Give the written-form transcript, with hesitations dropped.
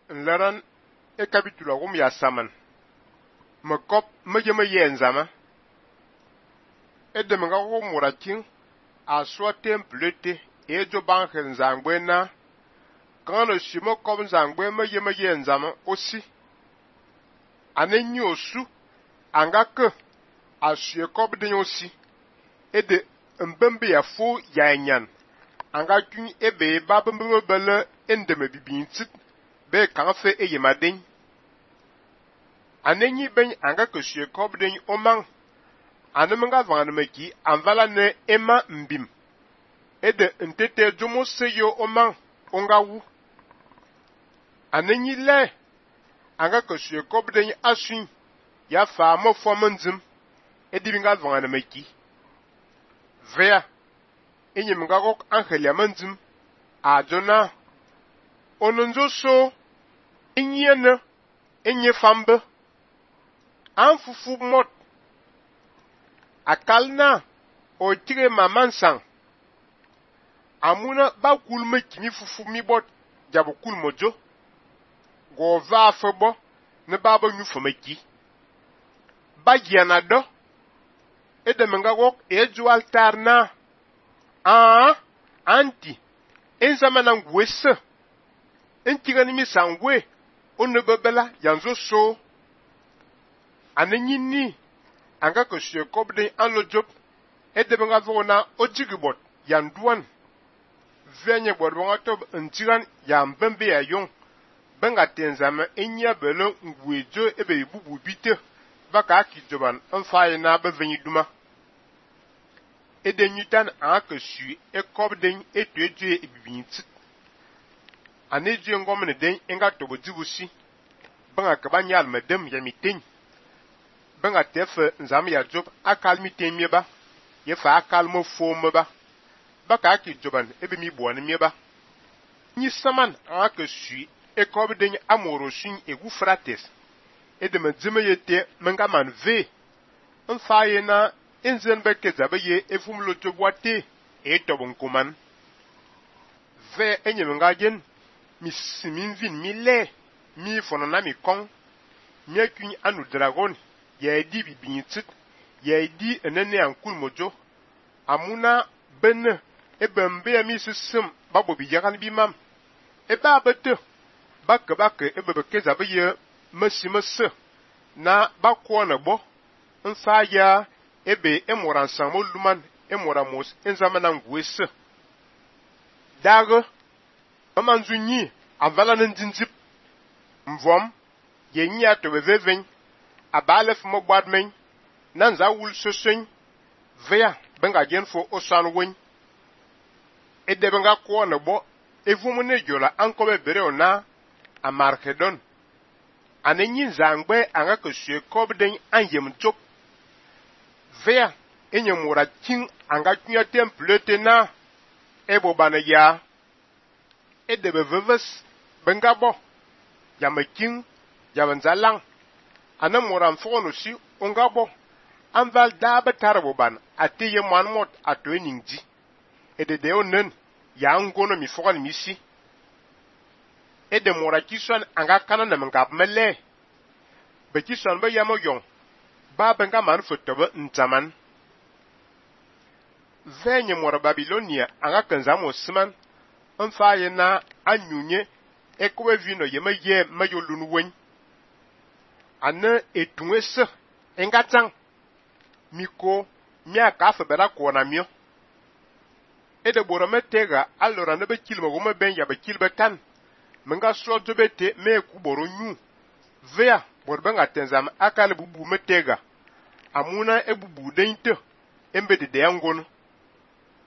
nleran e kapitula gum ya saman mekop mejeme ye nzama edem nga go murakin a so templete e jo banke nzangbe na kan shimo kom nzangbe mejeme ye nzama aussi anenyi osu anga ke asue kop de aussi ede mbembe ya fo ya nyan anga kun ebe ba bembe bele endeme bibintit be kan fe eyemaden anenyi ben anga ke sue kop de omang anemenga vanmeki anvala ne ema mbim ede ntete jomo seyo omang ongawu anenyi le anga ke sue kop de asun ya fa mo fomendim edibinga vanmeki vea enyemga gok angelia mandim a jona ononzo so enyene enye fambe anfufu mot akalna o tire mamansang amuna ba kulme kimi fufu mi bot jabo kulmojo go va febo ne baba nyu fomeki ba yana do edemenga gok eju altar na anti enzamana ngwese entigani mi sangwe onebebela yanzo so anenyini anga ko sue kobde anlojop edebenga vona ojigibot yanduan venye borbonga tob ntiran yambembe ya yon benga tenzama enya belo ngwejo ebe bubu bite baka kijoban enfaye na bevenyi duma edenyutan anga sue ekobden etueje ebibinti aneje ngomne den enga tobo dibusi benga kabanyal medem yamitin benga tefe nzam ya job akal mitin mieba ye fa akal mo fo ba baka kijoban ebe mi buani mieba ni saman anga sue ekobden amoro shin egu frates edeme dzime yete menga man ve enfaye na enzen beke zabe ye efumlo tobwate etobon kuman ve enyemenga gen mi simin vin mi le mi fonana mi kon mi akun anu dragon ye di bibintit ye di enene ankul mojo amuna ben ebembe mi sisem babo bi yakan bi mam eba bete bak ebebe kezabe ye masimese na bakona bo nsa ya ebe emoran samo luman emoramos enzamana ngwese dago mamanzunyi avala ndinzip mvom yenya to beveven abalef mo gwadmen nanza wul sosen vea benga gen fo osan won ede benga ko na bo evumu ne jola ankobe bere ona amarkedon anenyi zangbe anga ko sue kobden anyem chop vea enyemura king anga kunya templete na ebo bana ya edebe veves bengabo yamaking yabanzalang anamura mfono si ongabo anval daba tarabo ban atiye manmot atoeningji edede onen ya ngono mi fokan misi edemura kison anga kanana mengap mele be kison be yamo yon ba benga man fotobe ntaman venye mora Babilonia anga kanzamo siman enfaye na anyunye ekwe vino yeme ye mayolunu wen ane etunwese engatang miko mia kafe bera kona mio ede borome tega alora ne be kilmo gome ben ya be kilbe tan menga so dobete me ku boronyu vea borbenga tenzam akale bubu metega amuna ebubu deinte embede de yangono